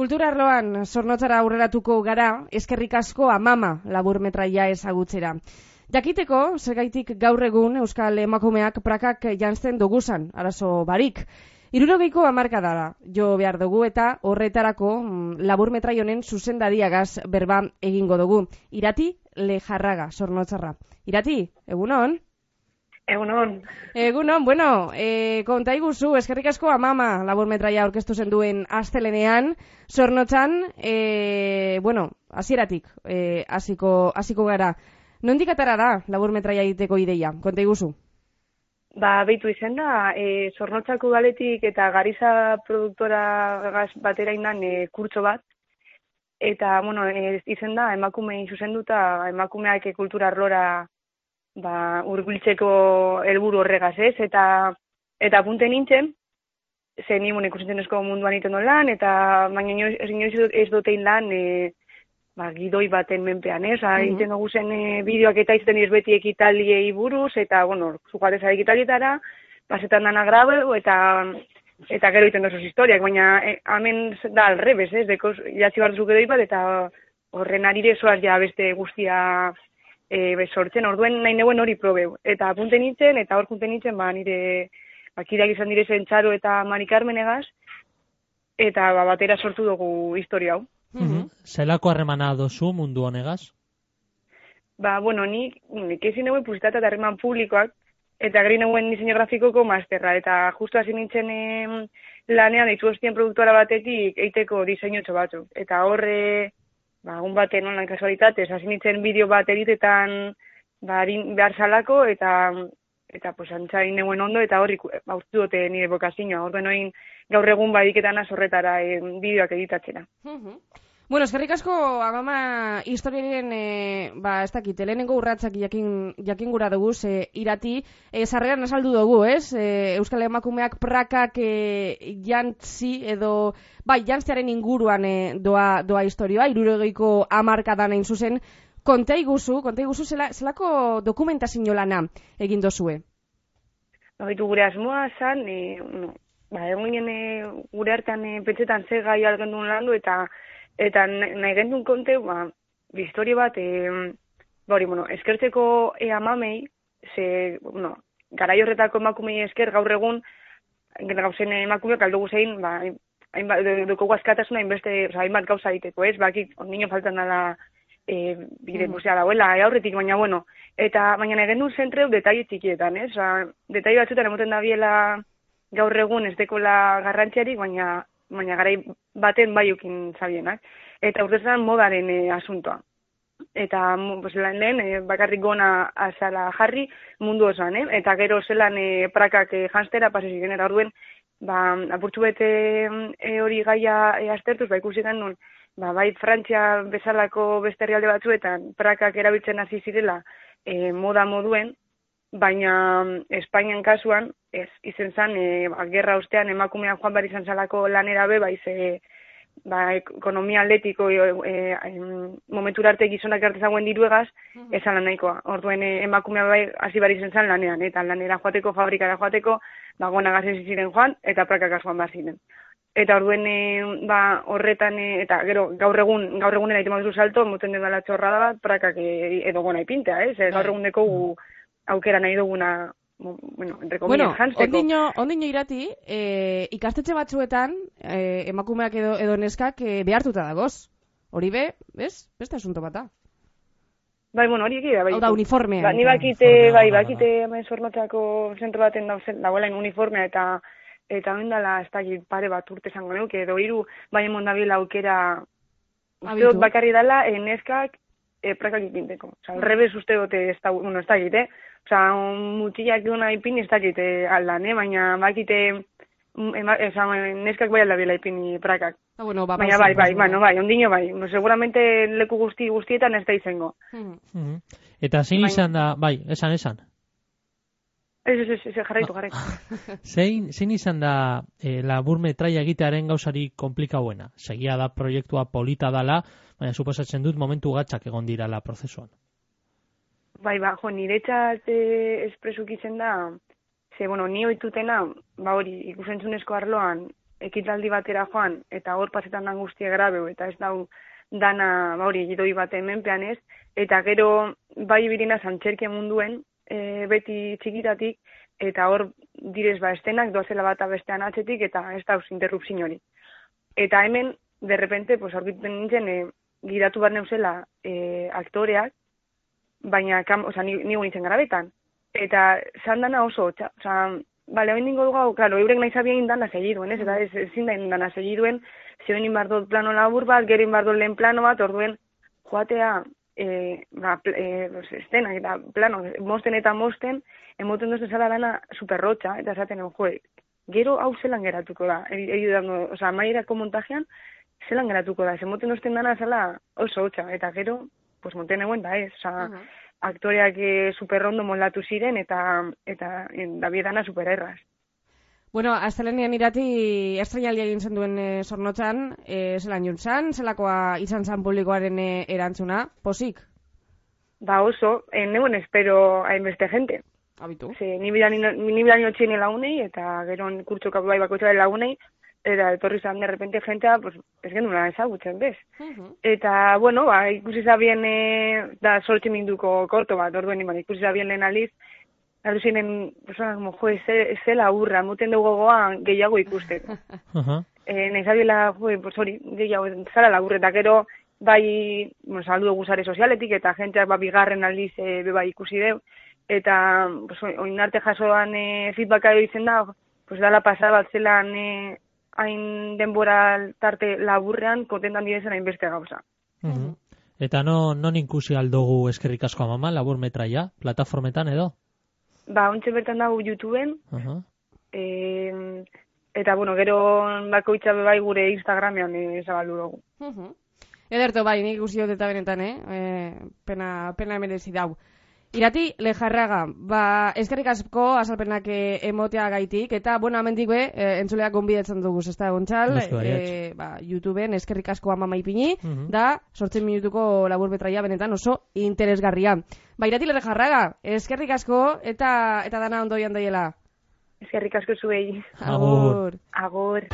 Kultura arloan Zornotzara aurreratuko gara, eskerrik asko Amama laburmetraia ezagutzera. Jakiteko, zergaitik gaur egun Euskal emakumeak prakak janzten doguzan, arazo barik. 60ko hamarkada da jo behar dugu eta horretarako laburmetrai honen zuzendariagaz berba egingo dugu. Irati Lejarraga, Zornotzarra. Irati, egunon? Egunon. Egunon, bueno, konta iguzu, eskerrik asko Amama laburmetraia aurkeztu zen duen astelenean, Zornotzan, bueno, hasieratik hasiko gara. Nondik atara da laburmetraia egiteko ideia? Konta iguzu. Beitu izen da, Zornotzako galetik eta Gariza produktora batera indan kurtso bat, eta, bueno, izen da, emakumei zuzenduta, emakumeak kultura arlora hurbiltzeko helburu horregaz, ez? Eta apunte nintzen, ze ni ikusentzunezko munduan iten lan, eta baina inoiz ez dotein lan gidoi baten menpean, ez? Iten dugu zen bideoak eta izaten beti ekitaliei buruz, eta, bueno, zugateza ekitalietara, pasetan dana grabe, eta gero iten dozuz historiak, baina hemen da alrebes, ez? Idatzi bat duzuk edoi bat, eta horren arire zoaz ja beste guztia sortzen, orduen nahi neuen hori probeu. Eta apunte nintzen, eta hor junte nintzen, nire kideak izan direzen Txaro eta Mari Carmen egaz, eta batera sortu dugu historia hau. Zelako harremana dozu mundu honegaz? Bueno, nik ezin neuen publizitate eta harreman publikoak, eta gari neuen diseño grafikoko masterra, eta justu hasi nintzen lanean ditu hostien produktora batetik eiteko diseinotxo batzuk. Eta horre, egun baten online kasualitatez, hasi nintzen bideo bat editetan behar salako, eta antzain neuen ondo, eta horri urtu dute nire bokazioa. Orduen oin gaur egun badiketan azorretara bideoak editatzena. Bueno, eskerrik asko Amama historiaren, ez dakit, lehenengo urratsak jakin gura dugu, Irati, sarreran azaldu dugu, ez? Euskal emakumeak prakak jantzi edo, jantziaren inguruan doa historioa, 60ko hamarkadan hain zuzen. Konta iguzu zelako dokumentazio lana egin dozue? Gure asmoa zan, egon ginen gure hartan pentsetan ze gai algendun landu, eta nahi gendun konte, historia bat, eskertzeko Amamei, garai horretako emakumei esker gaur egun, gauzen emakumeak aldugu zein, dukogu askatasuna hainbat gauza egiteko, ez? Ondino faltan dala bide musea dauela, aurretik, baina, eta baina nahi gendun zentreu detaile txikietan, ez? Detaile batzutan emoten da biela gaur egun ez dekola garrantziarik, baina garai baten ukin zabienak. Eta urtezan modaren asuntoa. Eta lehen bakarrik gona azala jarri mundu osoan, eta gero zelan prakak janztera pasesi genera orduen, apurtxu bete hori gaia aztertuz, ikusi genuen, bai Frantzia bezalako beste herrialde batzuetan prakak erabiltzen hasi zirela moda moduen, baina Espainian kasuan, ez izen zan, gerra ostean emakumea joan behar izan zalako lanera ekonomia atletiko momentura arte gizonak arte zagoen diruegaz, esan lan nahikoa. Orduen emakumea hasi behar izan zan lanean, eta lanera joateko, fabrikara joateko, gonagazen ziren joan, eta prakak joan behar ziren. Eta orduen horretan, eta gero gaur egunera iten baduzu salto, moten den dela txorra da bat, prakak edo gona ipintea, ez? Gaur eguneko aukera nahi duguna, entre comillas, jantzeko. Ondino Irati, ikastetxe batzuetan, emakumeak edo neskak behartuta dagoz. Hori beste asunto bat da. Hori egia, Hau da, uniformea. Ni bakite hemen Zornotzako zentro baten dagoela uniformea, eta ondala ez da pare bat urte zango neuke, edo hiru, bai emon dabiela aukera, uste dut bakarri dela, neskak prakak ipinteko. Osa, alrebez uste dute ez da egite. Osa, mutxillak egon ipini ez da egite aldan, baina bakite neskak bai aldabela ipini prakak. Bueno, baina bai, ondino bai. Seguramente leku guztietan ez da izango. Eta zein izan da, bai, esan. Ez, jarraitu. Zein izan da labur metraia egitearen gauzari komplikauena? Segia da proiektua polita dala, baina suposatzen dut momentu gatzak egon dirala prozesuan. Bai, niretzat espresuk izan da, ni oitutena, hori, ikusentzunezko arloan, ekitaldi batera joan, eta hor pasetan dan guztia grabeu, eta ez dau dana, hori, gidoi bat hemenpean ez, eta gero, bai birina zantxerkia munduen, beti txikitatik, eta hor direz estenak doazela bat bestean atzetik, eta ez dauz interrupzin hori. Eta hemen, derrepente, aurkituten nintzen, gidatu bat neuzela aktoreak, baina, nigo nintzen garabetan. Eta zandana oso, bale, hori ningo dugu, klaro, eurek nahi zabien dana segiduen, ez? Eta ezin da dana segiduen, zeben inbardot plano labur bat, gero inbardot lehen plano bat, orduen joatea, estenak eta plano, mosten, emoten duzten zala dana superrotxa, eta esaten, gero hau zelan geratuko da, amaierako montajean, zelan geratuko da, emoten duzten dana zala oso hotxa, eta gero, monten eguen da ez, aktoreak superrondo moldatu ziren, eta dabiedana supererraz. Bueno, astelenean irati estreinaldia egin zen duen Zornotzan, zelan juntzan, zelakoa izan zan publikoaren erantzuna, posik? Oso, neuen espero hainbeste jente. Habitu. Ni bilani otxien lagunei, eta gero kurtsoka bai bakoitzaren lagunei, eta etorri zan de repente jentea, ez genduna ezagutzen, bez? Eta, bueno, ikusi zabien, da sortxe minduko korto bat, orduen ikusi zabien lehen aliz, Ardu zinen, zela urra, muten dugu gogoan gehiago ikusteko. Naizabila, gehiago, zara lagurre, eta gero, bai, saldu dugu zare sozialetik, eta jenteak bigarren aldiz beba ikusi deu, eta oinarte jasoan feedbacka egiten da, dala pasada bat zelan hain denbora tarte laburrean, kontentan direzen hainbeste gauza. Eta non ikusi aldugu eskerrik asko amama, labur metraia, plataformetan edo? Ontxe bertan dago YouTubeen, eta, gero bakoitza bebai gure Instagramean zabaldu dugu. Ederto, bai, nik ikusi dut eta benetan, pena merezi dau. Irati, Lejarraga, eskerrik asko azalpenak emotea gaitik, eta, amendik entzuleak gonbidatzen dugu, ez da, Gontzal, YouTubeen eskerrik asko amama ipini, da, 8 minutuko labur metraia benetan oso interesgarria. Irati, Lejarraga, eskerrik asko, eta dana ondoian daiela. Eskerrik asko zuei. Agur. Agur.